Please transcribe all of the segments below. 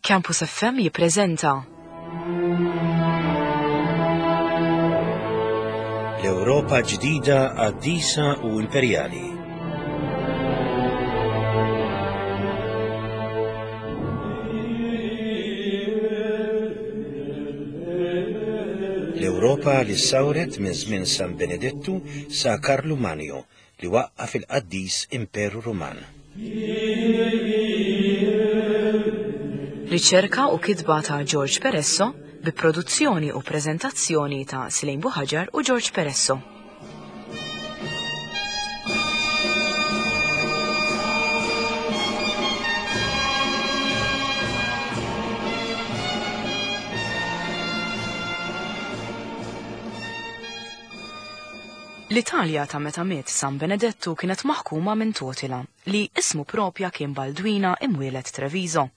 Campus FM jippreżenta. L-Ewropa ġdida qaddisa u imperjali. L-Ewropa li ssawret minn żmien San Benedettu sa Karlu Manju li waqqaf il-qaddis Imperu Ruman. Riċerka u kitba ta' George Peresso bi produzzjoni u preżentazzjoni ta' Silejn Buħaġar u George Peresso. L-Italja ta' meta miet San Benedettu kienet maħkuma minn Totila, li ismu propja kien Baldwina imwieled Treviso.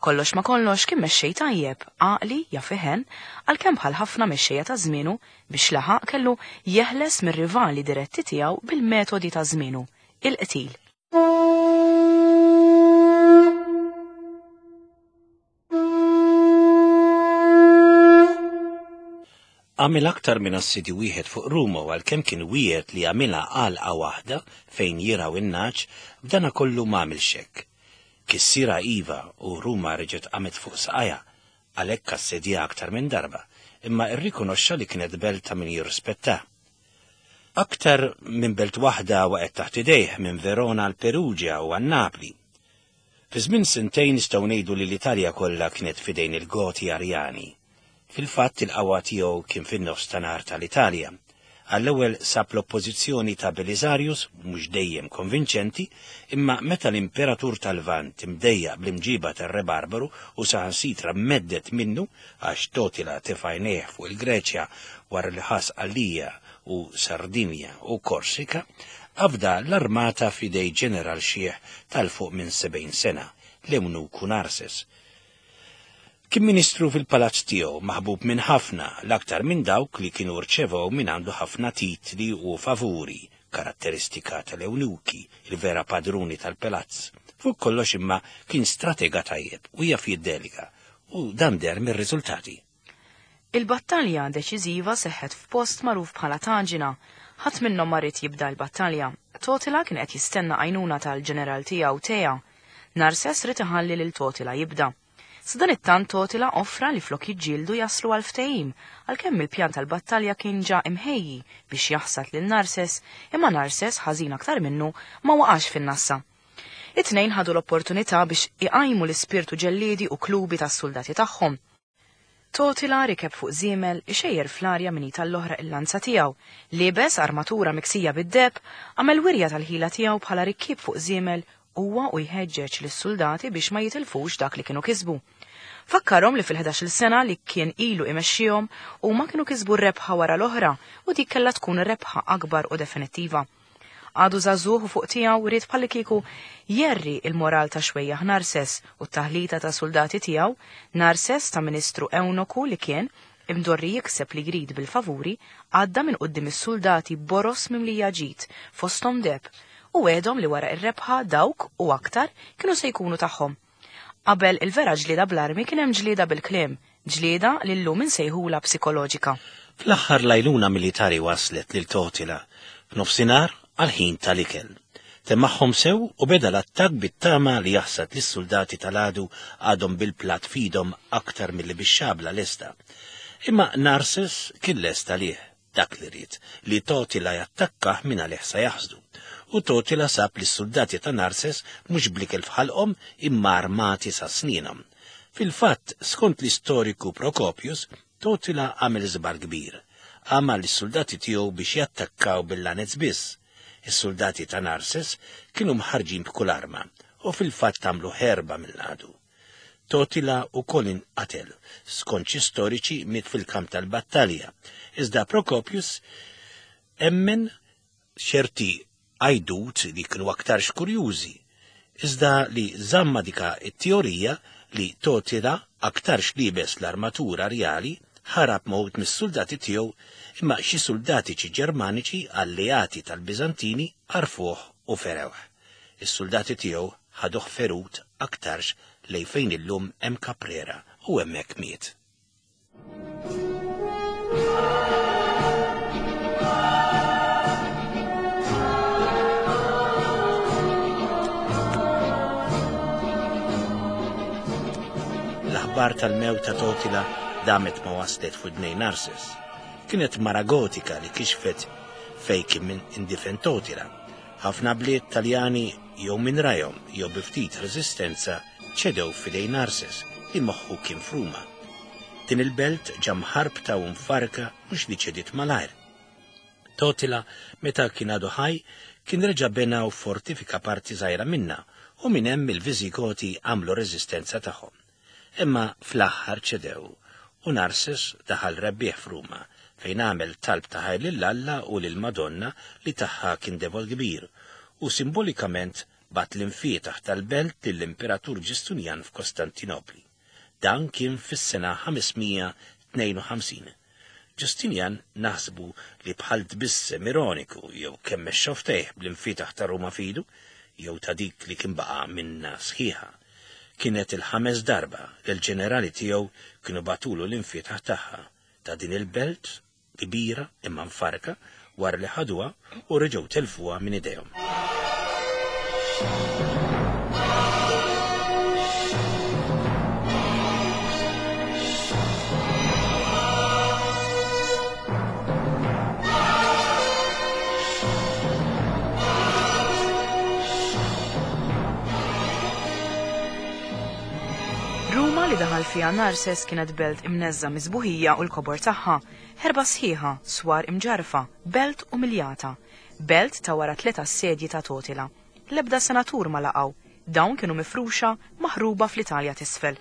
Kollox ma kollox kien mexxej tajjeb, għaqli, jaf iħenn, għalkemm bħal ħafna mexxejja ta' żmienu, biex laħaq kellu jeħles mir-rivali diretti tiegħu bil-metodi ta' żmienu, il-qtil. Għamel aktar minn assedju wieħed fuq Ruma u għalkemm kien wiegħed li jagħmilha għalqa waħda fejn jirgħu in-nagħaġ, b'dana kollu m'għamilx hekk. Kissirha iva u Ruma reġgħet qamet fuq saqajha, għalhekk assedjaha aktar minn darba, imma rrikonoxxa li kienet belt ta' min jirrispettah. Aktar minn belt waħda waqgħet taħt idejh, minn Verona għal Perugia u għal Napli. Fi żmien sentejn nistgħu ngħidu li l-Italja kollha kienet f'idejn il-Goti Arjani. Fil-fatt il-qawwa tiegħu kien fin-nofs ta' nhar tal-Italja. Għall-ewwel sab l-oppożizzjoni ta' Belisarius, mhux dejjem konvinċenti, imma meta l-Imperatur tal-Lvant imdejjaq bl-imġiba tar-Re Barbaru u saħansitra mhedded minnu għax Totila tefa' għajnejh fuq il-Greċja wara li ħa Sqallija u Sardinja u Korsika, afda l-armata f'idej ġeneral xiħ ta' 'l fuq minn 70 sena, l-ewnuku Narses. Kien ministru fil-palazz tiegħu, maħbub minn ħafna, l-aktar minn dawk li kienu rċevew mingħandu ħafna titli u favuri, karatteristika tal-ewnuki, il-vera padruni tal-palazz. Fuq kollox imma kien stratega tajjeb u jaf jiddelega, u dan deher mir-riżultati. Il-battalja deċiżiva seħħet f'post magħruf bħala Taġina. Ħadd minnhom ma ried jibda l-battalja. Totila kien qed jistenna għajnuna tal-ġeneral tiegħu Tea. Narses ried iħalli lil Totila jibda. Sadanittant Totila offra li flok jiġġieldu jaslu għal ftehim, għalkemm il-pjan tal-battalja kien ġa imħejji biex jaħsad lil Narses, imma Narses, ħażin aktar minnu, ma waqax fin-nassa. It-tnejn ħadu l-opportunità biex iqajmu l-ispirtu ġelliedi u klubi tas-suldati tagħhom. Totila rikeb fuq żiemel, ixejjer fl-arja minn id għall-oħra il-lanza tiegħu. Liebes armatura miksija bid-deheb, għamel wirja tal-ħila tiegħu bħala rikkieb fuq żiemel huwa u jħeġġeġ lis-suldati biex ma jitilfux dak li kienu kisbu. Fakkarhom li fil-ħdax-il sena li kien ilu imexxihom, huma kienu kisbu rebħa wara l-oħra u dik kellha tkun rebħa akbar u definittiva. Għadu żagħżugħ u fuq tiegħu ried bħallikieku jgħerri il-moral ta' xwejjaħ Narses u t-taħlita ta' suldati tiegħu, Narses ta' ministru ewnoku li kien, imdorri jikseb li jrid bil-favuri, għadda minn quddiem is-suldati b'boroż mimlija ġid, fosthom deheb, u wegħedhom li wara r-rebħa dawk u aktar kienu se jkunu tagħhom. Qabel il-vera ġlieda bl-armi kien hemm ġlieda bil-kliem, ġlieda li llum insejħulha psikoloġika. Fl-aħħar l-għajnuna militari waslet lil Totila f'nofsinhar għall-ħin tal-ikel. Temmagħhom sew u beda l-attakk bit-tama li jaħsad lis-suldati tal-għadu għadhom bil-platt f'idhom aktar milli bix-xabla lesta. Imma Narses kien lest għalih. Dak li ried, li Totila jattakkah mingħalih sa jaħsdu. U Totila sab li s-suldati ta' Narses mhux bl-ikel f'ħalqhom imma armati sa snienhom. Fil-fatt, skont l-istoriku Procopius, Totila għamel żball kbir. Għama lis-suldati tiegħu biex jattakkaw bil-lanez biss. Is-suldati ta' Narses kienu mħarrġin b'kull arma u fil-fatt għamlu ħerba mill-għadu. Totila wkoll inqatel, skont xi storiċi miet fil-kamp tal-battalja, iżda Procopius emmen ċerti għajdut li kienu aktarx kurjużi, iżda li żamm ma' dika t-teorija li Totila aktarx liebes l-armatura rjali ħarab ma' wħud mis-suldati tiegħu imma xi suldatiċi Ġermaniċi alleati tal-Biżantini għarfuh u ferewh. Is-suldati tiegħu ħaduh ferut aktarx lejn fejn illum hemm Caprera u hemmhekk miet. L-aħbar tal-mewt ta' Totila damet ma waslet f'widnejn Narses. Kienet mara Gotika li kixfet fejn kien min indifen Totila. Ħafna bliet Taljani jew minn rajhom jew bi ftit reżistenza ċedew f'idejn Narses li moħħu kien f'Ruma. Din il-belt ġa mħarbta u mfarrka mhux li ċediet malajr. Totila, meta kien għadu ħaj, kien reġa' bena u ffortifika parti żgħira minnha u minn hemm il-Viżigoti għamlu r-reżistenza tagħhom. Imma fl-aħħar ċedew u Narses daħal rebbieħ f'Ruma, fejn għamel talb ta' ħajr lil Alla u lill-Madonna li tagħha kien devot kbir, u simbolikament bagħat l-imfietaħ tal-belt lill-Imperatur Ġustinjan f'Kostantinopli. Dan kien fis-sena 552. Ġustinjan naħsbu li bħal tbissem ironiku jew kemmex xofftejh bl-imfietaħ ta' Ruma f'idu, jew ta' dik li kien baqa' minnha sħiħa. Kienet il-ħames darba li l-ġenerali tiegħu kienu bagħtulu l-imfietaħ tagħha, ta' din il-belt kbira imma mfarrka wara li ħaduha u reġgħu telfuha minn idejhom. Ruma li daħal fiha Narses kienet belt imneżża mis-sbuħija u l-kobor tagħha, ħerba sħiħa, swar imġarrfa, belt umiljata, belt ta' wara tliet assedji ta' Totila. L-ebda senatur ma laqgħu, dawn kienu mifruxa, maħruba fl-Italja t'isfel.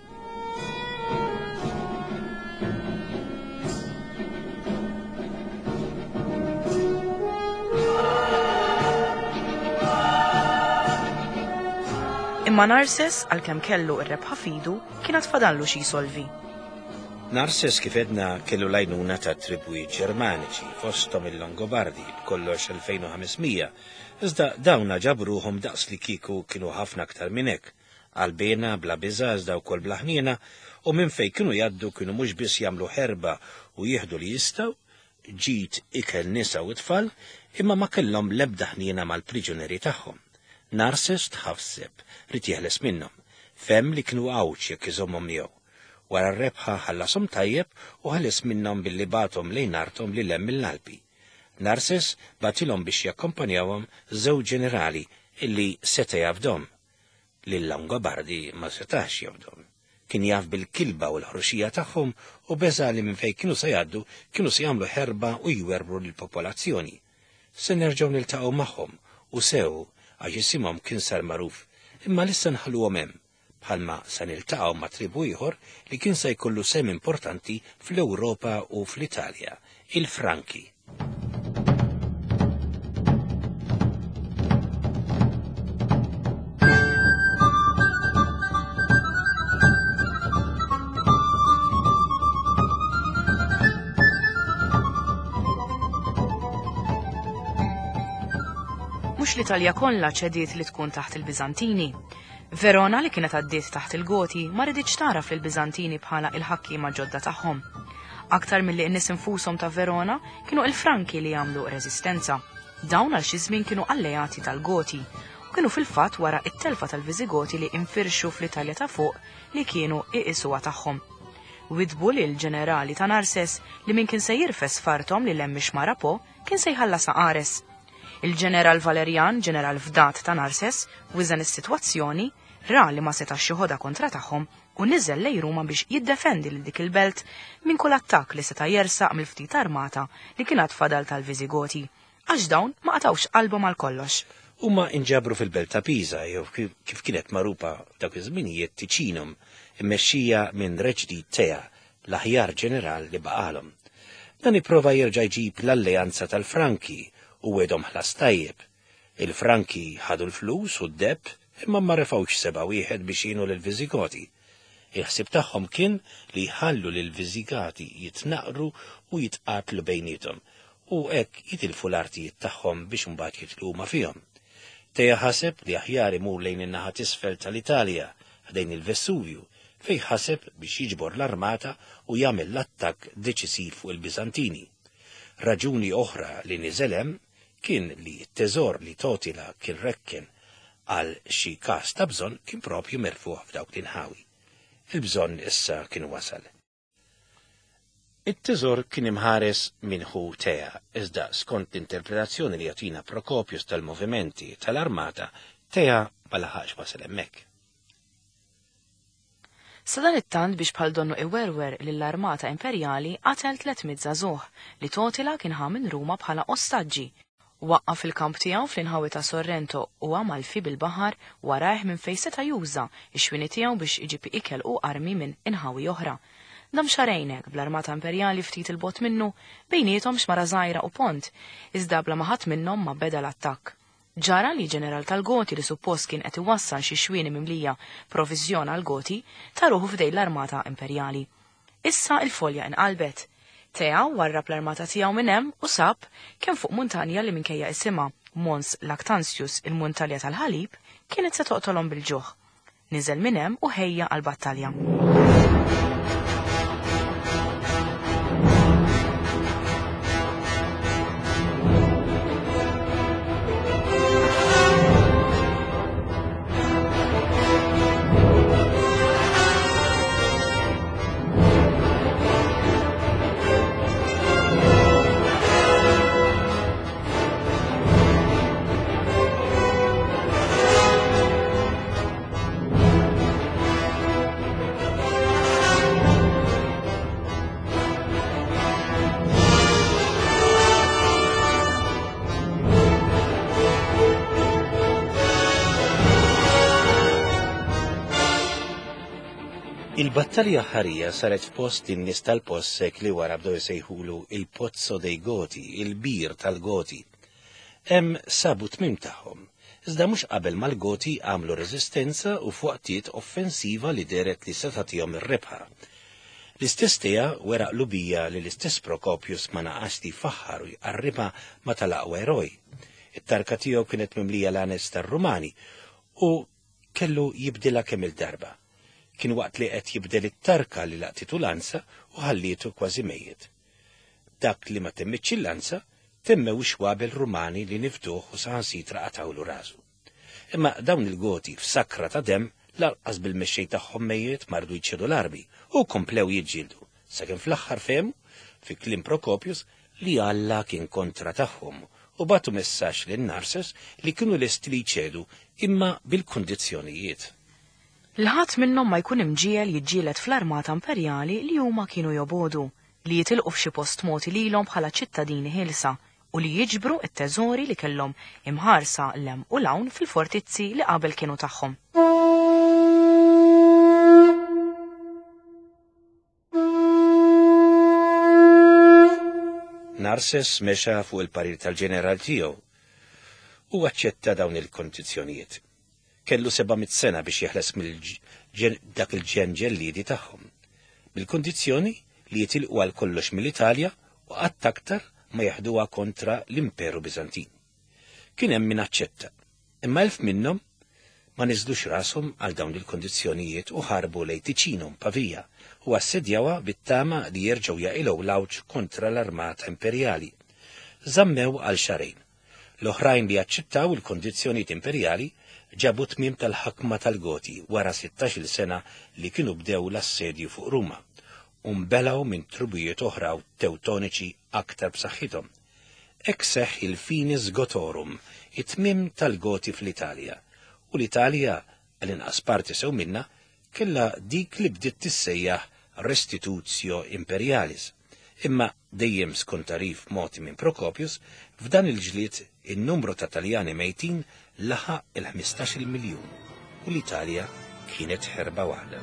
Imma Narses, għalkemm kellu r-rebħa f'idu, kien għad fadallu xi jsolvi. Narses kif għedna kellu l-għajnuna ta' tribwiet Ġermaniċi, fosthom il-Longobardi, b'kollox 2500, iżda dawn ġabu ruħhom daqs li kieku kienu ħafna aktar minn hekk, qalbiena, bla biża' iżda wkoll bla ħniena, u minn fejn kienu jgħaddu kienu mhux biss jagħmlu ħerba u jieħdu li jistgħu, ġid, ikel, nisa u tfal, imma ma kellhom l-ebda ħniena mal-priġunieri tagħhom. Narses tħasseb, ried jeħles minnhom. Fehem li kienu għawġ jekk iżommhom miegħu. Wara r-rebħa ħallashom tajjeb u ħeles minnhom billi bagħathom lejn arthom lil hemm mill-Alpi. Narses bagħtilhom biex jakkompanjawhom żewġ ġenerali illi seta' jafdhom. Lil Longobardi ma setax jafdhom. Kien jaf bil-kilba u l-ħruxija tagħhom u beża' li minn fejn kienu se jgħaddu kienu se jagħmlu ħerba u jwerwru lill-popolazzjoni. Se nerġgħu niltaqgħu magħhom u sew għax isimhom kien sar magħruf, imma l'issa nħalluhom hemm bħalma se niltaqgħu ma' tribù ieħor li kien se jkollu sehem importanti fl-Ewropa u fl-Italja, il-Franki. Mhux l-Italja kollha ċediet li tkun taħt il-Biżantini. Verona li kienet għaddiet taħt il-Goti ma riditx tagħraf lill-Biżantini bħala il-ħakkiema ġodda tagħhom. Aktar milli n-nies infushom ta' Verona kienu il-Franki li għamlu reżistenza. Dawn għal xi żmien kienu alleati tal-Goti u kienu fil-fatt wara t-telfa tal-Viżigoti li infirxu fl-Italja ta' fuq li kienu iqisuha tagħhom. Widdbu lill-ġenerali ta' Narses li min kien se jirfes f'arthom lil hemm ix-xmara Po kien se jħallasha qares. Il-Ġeneral Valerjan, ġeneral fdat ta' Narses, wiżen is-sitwazzjoni, ra li ma setax joħodha kontra tagħhom u niżel lejn Ruma biex jiddefendi lil dik il-belt minn kull attakk li seta' jersaq mill-ftit armata li kien għad fadal tal-Viżigoti, għax dawn ma qatgħux qalbhom għal kollox. Huma inġabru fil-belt ta' Pisa, jew kif kienet magħrufa f'dawk iż-żminijiet Ticinum, immexxija minn Re ġdid Tea, l-aħjar ġeneral li baqgħalhom. Dan ipprova jerġa' jġib l-alleanza tal-Franki u wegħdhom ħlas tajjeb. Il-Franki ħadu l-flus u d-deheb imma ma refgħux seba' wieħed biex jgħinu lill-Viżigoti. Il-ħsieb tagħhom kien li jħallu lill-Viżigati jitnaqqru u jitqatlu bejniethom u hekk jitilfu l-artijiet tagħhom biex imbagħad jidħlu huma fihom. Teja ħaseb li aħjar imur lejn in-naħa t'isfel tal-Italja. ħdejn il-Vessuvju, fejn ħaseb biex jiġbor l-armata u jagħmel l-attakk deċisiv fuq il-Biżantini. Raġuni oħra li niżel hemm kien li t-teżor li Totila kien rekken għal xi każ ta' bżonn kien proprju merfugħ f'dawk l-inħawi. Il-bżonn issa kien wasal. It-teżor kien imħares minn ħu Tea, iżda skont l-interpretazzjoni li jagħtina Prokopius tal-movimenti tal-armata, Tea ma laħaqx wasal hemmhekk. Sadanittant biex bħal donnu iwerwer lill-armata imperjali qatel 300 żagħżugħ li Totila kien ħa minn Ruma bħala ostaġġi. Waqqaf il-kamp tiegħu fl-inħawi ta' Sorrento u Amalfi bil-baħar warajh minn fejn seta' juża x-xwieni tiegħu biex iġib ikel u armi minn inħawi oħra. Dam xahrejn hekk bl-armata imperjali ftit 'il bogħod minnu, bejniethom xmara żgħira u pont, iżda bla ma ħadd minnhom ma beda l-attakk. Ġara li ġeneral tal-Goti li suppost kien qed iwassal xi xwieni mimlija proviżjon għall-Goti, ta ruħu f'idejn l-armata imperjali. Issa il-folja inqalbet. Tea warrab l-armata tiegħu minn hemm u sab kemm fuq muntanja li minkejja isimha, Mons Lactantius, il-muntalja tal-ħalib, kienet se toqtolhom bil-ġuħ. Niżel minn hemm u ħejja għall-battalja. Il-battalja ħarija saret f'post li n-nies tal-post sekli wara bdew isejħulu il-Pozzo dei Goti, il-bir tal-Goti. Hemm sabu tmiem tagħhom, iżda mhux qabel ma l-Goti għamlu reżistenza u f'waqtiet offensiva li dehret li se tagħtihom ir-rebħa. L-istess Tea wera qlubija li l-istess Procopius ma naqasx li jfaħħar u jqarribha ma' tal-aqwa eroj. It-tarka tiegħu kienet mimlija lanez tar-Rumani u kellu jibdilha kemm-il darba. Kien waqt li qed jibdel it-tarka li laqtitu lanza u ħallietu kważi mejjet. Dak li ma temmitx il-lanza, temmew ix-xwabel Rumani li nifduh u saħansitra qatgħulu rasu. Imma dawn il-Goti f'sakra ta' demm lanqas bil-mexxej tagħhom mejjet ma riedu jċedu l-armi u komplew jiġġieldu, sakemm fl-aħħar fehmu, fi kliem Procopius, li Alla kien kontra tagħhom u bagħtu messaġġ lil Narses li kienu lesti li jċedu imma bil-kundizzjonijiet. Li ħadd minnhom ma jkun imġiegħel jiġġieled fl-armata imperjali li huma kienu jobogħdu, li jitilqu f'xi post mogħti lilhom bħala ċittadini ħielsa, u li jiġbru t-teżori li kellhom imħarsa 'l hemm u 'l hawn fil-fortizzi li qabel kienu tagħhom. Narses mexa fuq il-parir tal-ġeneral tiegħu u aċċetta dawn il-kondizzjonijiet. Kellu 700 sena biex jeħles mill dak il-ġen ġelliedi tagħhom. Bil-kondizzjoni li jitilqu għal kollox mill-Italja u qatt aktar ma jeħduha kontra l-Imperu Biżantin. Kien hemm min aċċetta, imma 1000 minnhom ma niżlux rashom għal dawn il-kondizzjonijiet u ħarbu lejn Ticinum, Pavia, u assedjawha bit-tama li jerġgħu jaqilgħu l-għawġ kontra l-armata imperjali. Żammew għal xahrejn. L-oħrajn li aċċettaw il-kondizzjonijiet imperjali ġabu t-tmiem tal-ħakma tal-Goti wara sittax-il sena li kienu bdew l-assedju fuq Ruma, u nbelgħu minn tribujiet oħra u Tewtoniċi aktar b'saħħithom. Hekk seħħ il-finis Gothorum, it-tmiem tal-Goti fl-Italja, u l-Italja, għall-inqas parti sew minnha, kellha dik li bdiet tissejjaħ restitutio imperialis. Imma, dejjem skont tagħrif mogħti minn Procopius, f'dan il-ġlied in-numru ta' Taljani mejtin laħaq il-ħmistax-il miljun u l-Italja kienet ħerba waħda.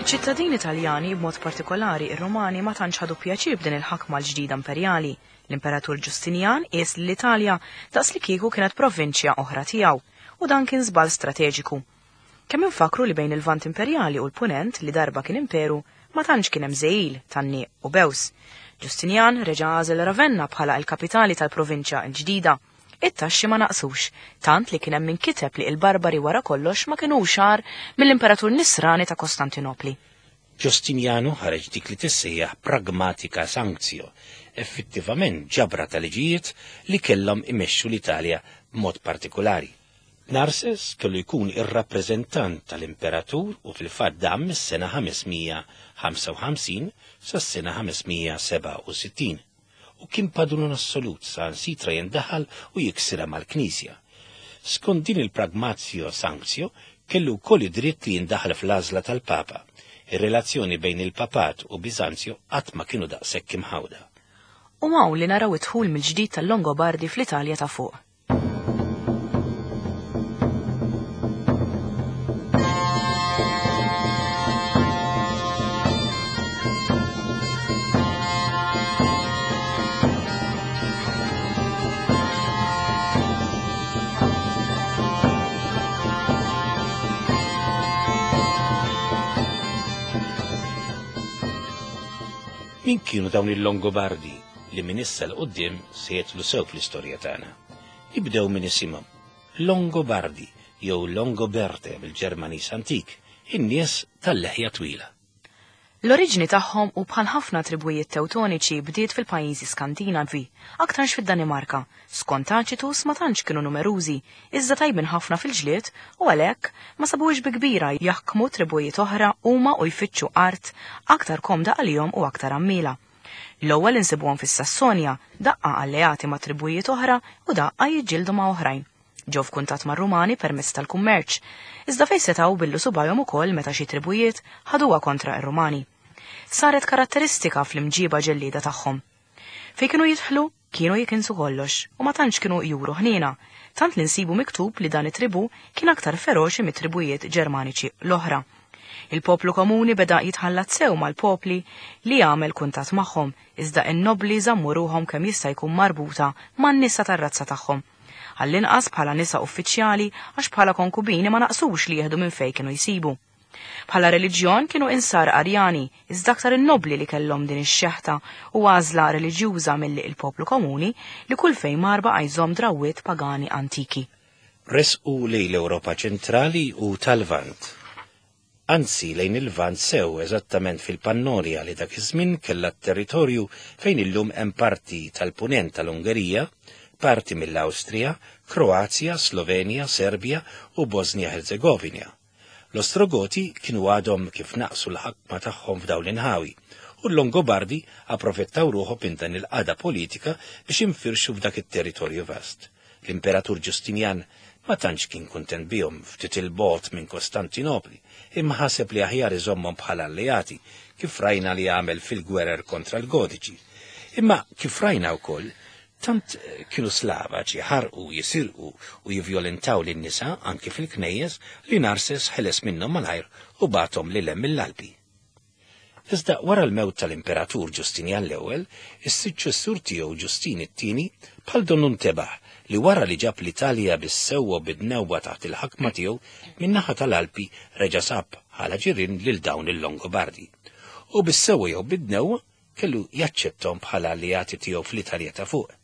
Iċ-ċittadini Taljani, b'mod partikolari ir-Rumani, ma tantx ħadu pjaċir b'din il-ħakma l-ġdida imperjali. L-Imperatur Ġustinjan qies lill-Italja daqs li kieku kienet provinċja oħra tiegħu, u dan kien żball strateġiku. Kemm infakkru li bejn il-Lvant Imperjali u l-Punent li darba kien imperu, ma tantx kien hemm żegħil, tgħanniq u bews. Ġustinjan reġa' għażel Ravenna bħala l-kapitali tal-provinċja l-ġdida. It-taxxi ma naqsux, tant li kien hemm min kiteb li il-Barbari wara kollox ma kinux agħar mill-Imperatur Nisrani ta' Kostantinopli. Ġustinjanu ħareġ dik li tissejjaħ pragmatica sanctio, effettivament ġabra ta' liġijiet li kellhom imexxu l-Italja b'mod partikulari. Narses kellu jkun ir-rappreżentant tal-imperatur u fil-fatt dam mis-sena 555 sas-sena 567 u kien padrun assolut saħansitra jindaħal u jiksirha mal-Knisja. Skont din il-pragmatio sanctio kellu wkoll id-dritt li jindaħal fl-għażla tal-Papa. Ir-relazzjoni bejn il-Papat u Biżanzju qatt ma kienu daqshekk imħawda. U hawn li naraw id-dħul mill-ġdid tal-Longobardi fl-Italja ta' fuq. Min kienu dawn il-Longobardi li minn issa 'l quddiem se jidħlu sew fl-istorja tagħna? Nibdew minn isimhom, Longobardi jew Longoberte bil-Ġermaniż antik, in-nies tal-leħja twila. L-oriġini tagħhom u bħal ħafna tribujiet Tewtoniċi bdiet fil-pajjiżi Skandinavi, aktarx fid-Danimarka. Skont Tacitus ma tantx kienu numerużi, iżda tajbin ħafna fil-ġlied u għalhekk ma sabuhiex bi kbira jaħkmu tribujiet oħra huma u jfittxu art aktar komda għalihom u aktar għammiela. L-ewwel insibuhom fis-Sassonja, daqqa alleati ma' tribujiet oħra u daqqa jiġġieldu ma' oħrajn. Ġew f'kuntatt mar-Rumani permezz tal-kummerċ, iżda fejn setgħu billu subgħajhom ukoll meta xi tribujiet ħaduha kontra r-Rumani. Saret karatteristika fl-imġiba ġellieda tagħhom. Fejn kienu jidħlu, kienu jikinsu kollox u ma tantx kienu juru ħniena, tant li nsibu miktub li dan it-tribù kien aktar feroċi mit-tribujiet Ġermaniċi l-oħra. Il-poplu komuni beda jitħallat sew mal-popli li għamel kuntatt magħhom, iżda n-nobbli żammu ruħhom kemm jista' jkun marbuta man-nisa tar-razza tagħhom. Għall-inqas bħala nisa uffiċjali għax bħala konkubini ma naqsux li jieħdu minn fejn kienu jsibu. Bħala reliġjon kienu Insara Arjani, iżda aktar in-nobbli li kellhom din ix-xeħta u għażla reliġjuża milli il-poplu komuni li kull fejn mar baqa' jżomm drawwiet pagani antiki. Resqu lejn l-Ewropa ċentrali u tal-Lvant. Anzi, lejn il-Lvant sew, eżattament fil-Pannonia li dak iż-żmien kellha t-territorju fejn illum hemm parti tal-Punent tal-Ungerija, parti mill-Awstrija, Kroazja, Slovenja, Serbja u Bosnja-Ħerzegovina. L-Ostrogoti kienu għadhom kif naqsu l-ħakma tagħhom f'dawn l-inħawi, u l-Longobardi approfettaw ruħhom minn dan il-qagħda politika biex infirxu f'dak it-territorju vast. L-Imperatur Ġustinjan ma tantx kien kuntent bihom ftit 'il bogħod minn Kostantinopli, imma ħaseb li aħjar iżommhom bħala alleati, kif rajna li għamel fil-gwerer kontra l-Gotiċi. Imma kif rajna wkoll, Tant kienu slavaġ jaħarqu, jisirqu u jivjolentaw lin-nisa anki fil-knejjes li Narses ħeles minnhom malajr u bagħathom lil hemm mill-Alpi. Iżda wara l-mewt tal-Imperatur Ġustinjan l-Ewwel, is-suċċessur tiegħu Ġustin it-Tieni bħal donnu ntebaħ li wara li ġab l-Italja bis-sewwa u bid-dnewwa taħt il-ħakma tiegħu, min-naħa tal-Alpi reġa' sab bħala ġirien lil dawn il-Longobardi. U bis-sewwa jew bid-dnewwa kellu jaċċettahom bħala alleati tiegħu fl-Italja ta' fuq.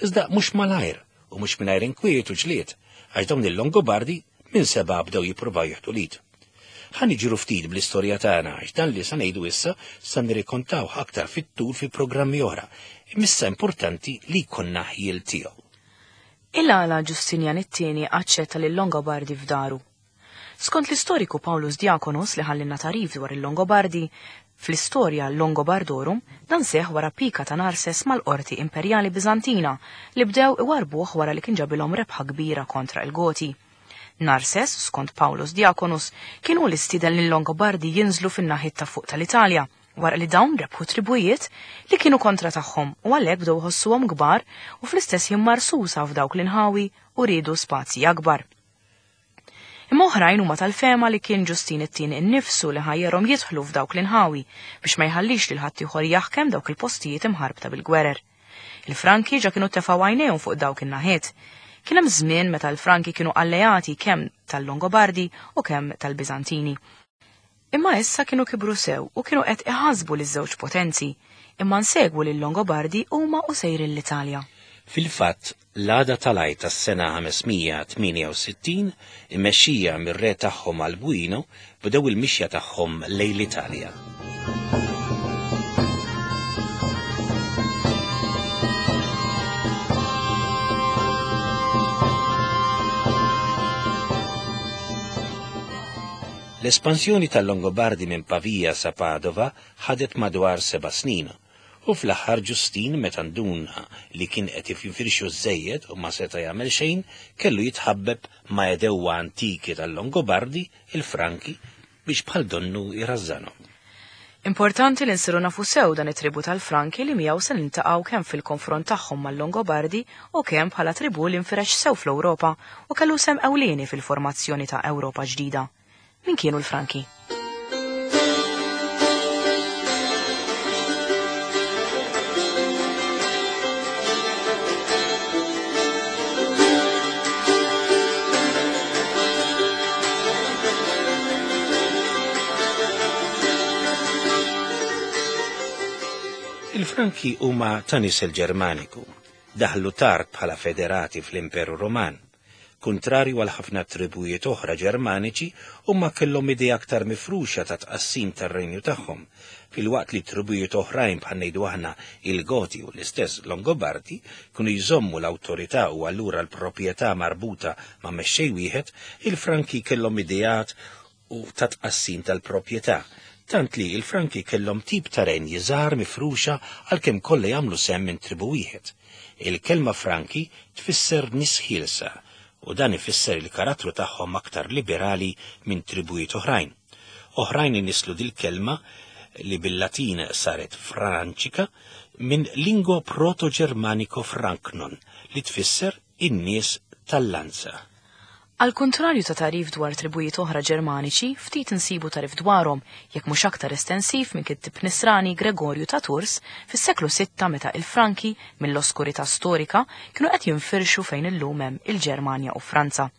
Iżda mhux malajr u mhux mingħajr inkwiet u ġlied, għax dawn il-Longobardi minn sebgħa bdew jippruvaw jieħdu l-id. Ħa niġru ftit bl-istorja tagħna għax dan li sa ngħidu issa sa nirrikontawh aktar fit-tul fi programmi oħra, imma issa importanti li jkollna ħjiel tiegħu. Il-għala Ġustinjan it-Tieni aċċetta lil-Longobardi f'daru? Skont l-istoriku Paulus Diaconus li ħallinna tagħrif dwar il-Longobardi, fl-Istoria Longobardorum, dan seħħ wara pika ta' Narses mal-qorti imperjali Biżantina li bdew iwarrbuh wara li kien ġabilhom rebħa kbira kontra l-Goti. Narses, skont Paulus Diaconus, kien hu li stieden lil-Longobardi jinżlu fin-naħiet ta' fuq tal-Italja wara li dawn rebħu tribujiet li kienu kontra tagħhom u għalhekk bdew iħossuhom kbar u fl-istess ħin marsusa f'dawk l-inħawi u riedu spazji akbar. Imma oħrajn huma tal-fehma li kien Ġustin it-Tieni innifsu li ħajjarhom jidħlu f'dawk l-inħawi biex ma jħallix lil ħaddieħor jaħkem dawk il-postijiet imħarbta bil-gwerer. Il-Franki ġa kienu tefgħu għajnejhom fuq dawk in-naħiet. Kien hemm żmien meta l-Franki kienu alleati kemm tal-Longobardi u kemm tal-Biżantini. Imma issa kienu kibru sew u kienu qed iħassbu liż-żewġ potenzi, imma nsegwu lil-Longobardi huma u sejrin l-Italja. Fil-fatt, l-għada tal-Għid tas-sena 568, immexxija mir-re tagħhom Albuino, bdew il-mixja tagħhom lejn l-Italja. L-espansjoni tal-Longobardi minn Pavia sa Padova ħadet madwar seba' snin, u fl-aħħar Ġustin meta nduna li kien qed jinfirxu żżejjed u ma seta' jagħmel xejn, kellu jitħabbeb ma' għedewwa antiki tal-Longobardi, il-Franki, biex bħal donnu jrażżanhom. Importanti li nsiru nafu sew dan it-tribù tal-Franki li miegħu se niltaqgħu kemm fil-konfront tagħhom mal-Longobardi u kemm bħala tribù li nfirex sew fl-Ewropa u kellu sehem ewlieni fil-formazzjoni ta' Ewropa ġdida. Min kienu l-Franki? Il-Franki huma ta' nisel Ġermaniku. Daħlu tard bħala federati fl-Imperu Ruman. Kuntrarju għal ħafna tribujiet oħra Ġermaniċi, huma kellhom idea aktar mifruxa ta' tqassim tar-renju tagħhom, filwaqt li tribujiet oħrajn bħal ngħidu aħna il-Goti u l-istess Longobardi kienu jżommu l-awtorità u allura l-proprjetà marbuta ma' mexxej wieħed, il-Franki kellhom ideat u ta' tqassim tal-proprjetà, tant li l-Franki kellhom tip ta' renji żgħar mifruxa għalkemm kollha jagħmlu sehem minn tribù wieħed. Il-kelma Franki tfisser nies ħielsa u dan ifisser il-karattru tagħhom aktar liberali minn tribujiet oħrajn. Oħrajn inisslu dil-kelma li bil-Latin saret Franċika minn lingwa proto-Ġermaniko Franknon li tfisser in-nies tal-lanza. Għall kuntrarju ta' tagħrif dwar tribujiet oħra Ġermaniċi, ftit insibu tagħrif dwarhom, jekk mhux aktar estensiv minn kittib Nisrani Gregorju ta' Tours fis-seklu sitta meta il-Franki, mill-oskurità storika, kienu qed jinfirxu fejn illum hemm il-Ġermanja u Franza.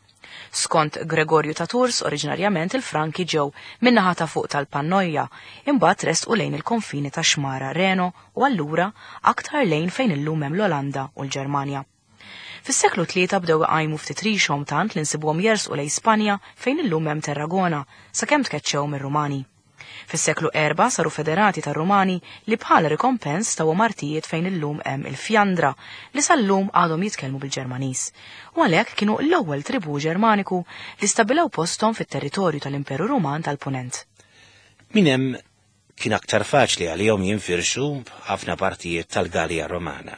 Skont Gregorju ta' Tours, oriġinarjament il-Franki ġew min-naħa ta' fuq tal-Pannoja, imbagħad resqu lejn il-konfini tax-xmara Reno u allura aktar lejn fejn illum hemm l-Olanda u l-Ġermanja. Fis-seklu tlieta bdew iqajmu ftit rixhom tant li nsibuhom jersqu lejn Spanja fejn illum hemm Tarragona, sakemm tkeċċew mir-Rumani. Fis-seklu erba' saru federati tar-Rumani li bħala rikompens tawhom artijiet fejn illum hemm il-Fjandra li sal-lum għadhom jitkellmu bil-Ġermaniż. U għalhekk kienu l-ewwel tribù Ġermaniku li stabbilew posthom fit-territorju tal-Imperu Ruman tal-Punent. Minn hemm Kien aktar faċli għalihom jinfirxu f'ħafna partijiet tal-Gallia Romana,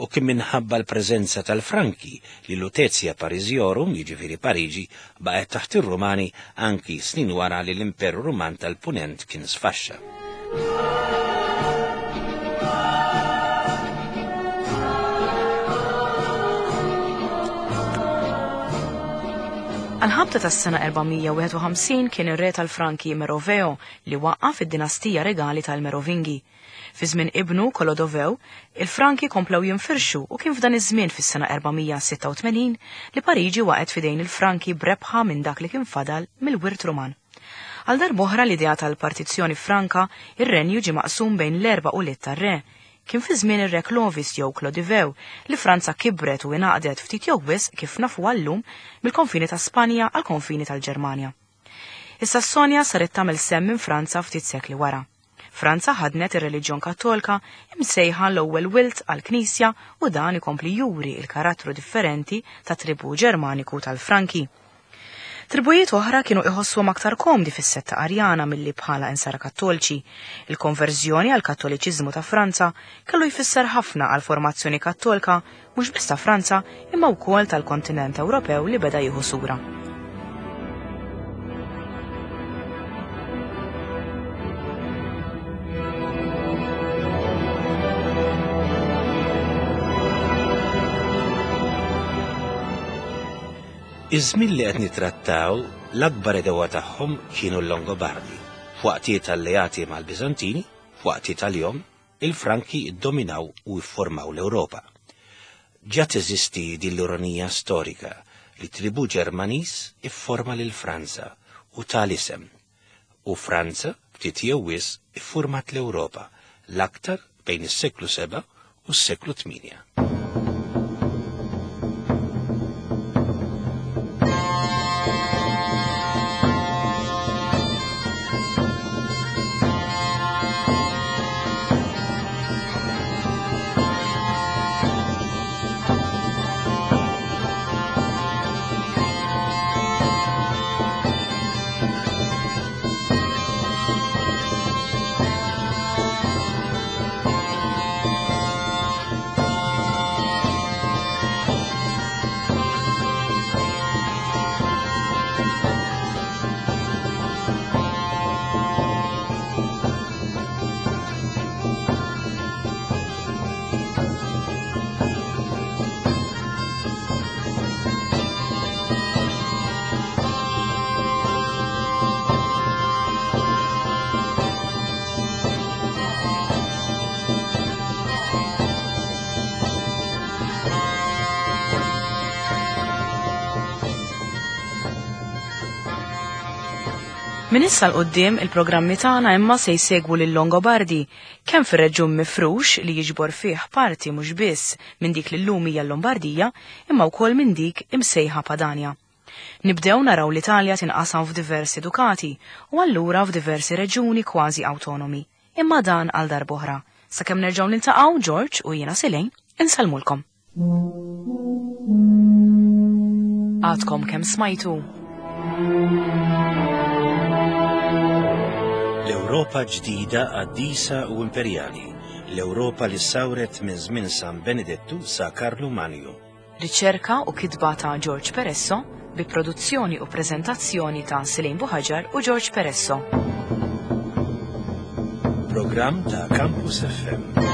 u kien minħabba l-preżenza tal-Franki li Lutetia Parisiorum, jiġifieri Pariġi, baqgħet taħt ir-Rumani anki snin wara li l-Imperu Ruman tal-Punent kien sfaxxa. Għall-ħabta tas-sena 451 kien ir-re tal-Franki Meroveo li waqqaf id-dinastija regali tal-Merovingi. Fi żmien ibnu Kolodovew, il-Franki komplew jinfirxu u kien f'dan iż-żmien fis-sena 486 li Pariġi waqgħet f'idejn il-Franki b'rebħa minn dak li kien fadal mill-wirt Ruman. Għal darb'oħra l-idea tal-partizzjoni Franka, ir-renju ġie maqsum bejn l-erba' ulied tar-re. Kien fi żmien ir-re Clovis jew Clodivew li Franza kibret u ingħaqdet ftit jew wisq kif nafuha llum mill-konfini ta' Spanja għall-konfini tal-Ġermanja. Is-Sassonja saret tagħmel sehem minn Franza ftit sekli wara. Franza ħaddnet ir-reliġjon Kattolka, imsejħa l-ewwel wild għall-Knisja u dan ikompli juri l-karattru differenti tat-tribù Ġermaniku tal-Franki. Tribujiet oħra kienu iħossuhom aktar komdi fis-setta Arjana milli bħala Insara Kattolċi. Il-konverżjoni għall-Kattoliċiżmu ta' Franza kellu jfisser ħafna għall-formazzjoni Kattolka mhux biss ta' Franza imma wkoll tal-kontinent Ewropew li beda jieħu sura. Iż-żmien li qed nittrattaw, l-akbar għedewwa tagħhom kienu l-Longobardi. F'waqtiet alleati mal-Biżantini, f'waqtiet għalihom, Il-Franki ddominaw u fformaw l-Ewropa. Ġa teżisti din l-ironija storika li tribù Ġermaniż ifforma lil Franza u ta l-isem. U Franza, ftit jew wisq, iffurmat l-Ewropa, l-aktar bejn is-seklu sebgħa u s-seklu tmienja. Minn issa 'l quddiem il-programmi tagħna imma se jsegwu lil Longobardi kemm fir-reġjun mifrux li jiġbor fih parti mhux biss minn dik li llum hija l-Lombardija imma wkoll minn dik imsejħa Padania. Nibdew naraw l-Italja tinqasam f'diversi dukati u allura f'diversi reġjuni kważi awtonomi. Imma dan għal darb'oħra. Sakemm nerġgħu niltaqgħu, George u jiena Silejn, insellmulkom. Għadkom kemm smajtu. L-Ewropa ġdida qaddisa u imperjali, l-Ewropa li ssawret minn żmien San Benedettu sa Karlu Manju. Riċerka u kitba ta' George Peresso bi produzzjoni u preżentazzjoni ta' Silejn Buhaġar u George Peresso. Programm ta' Campus FM.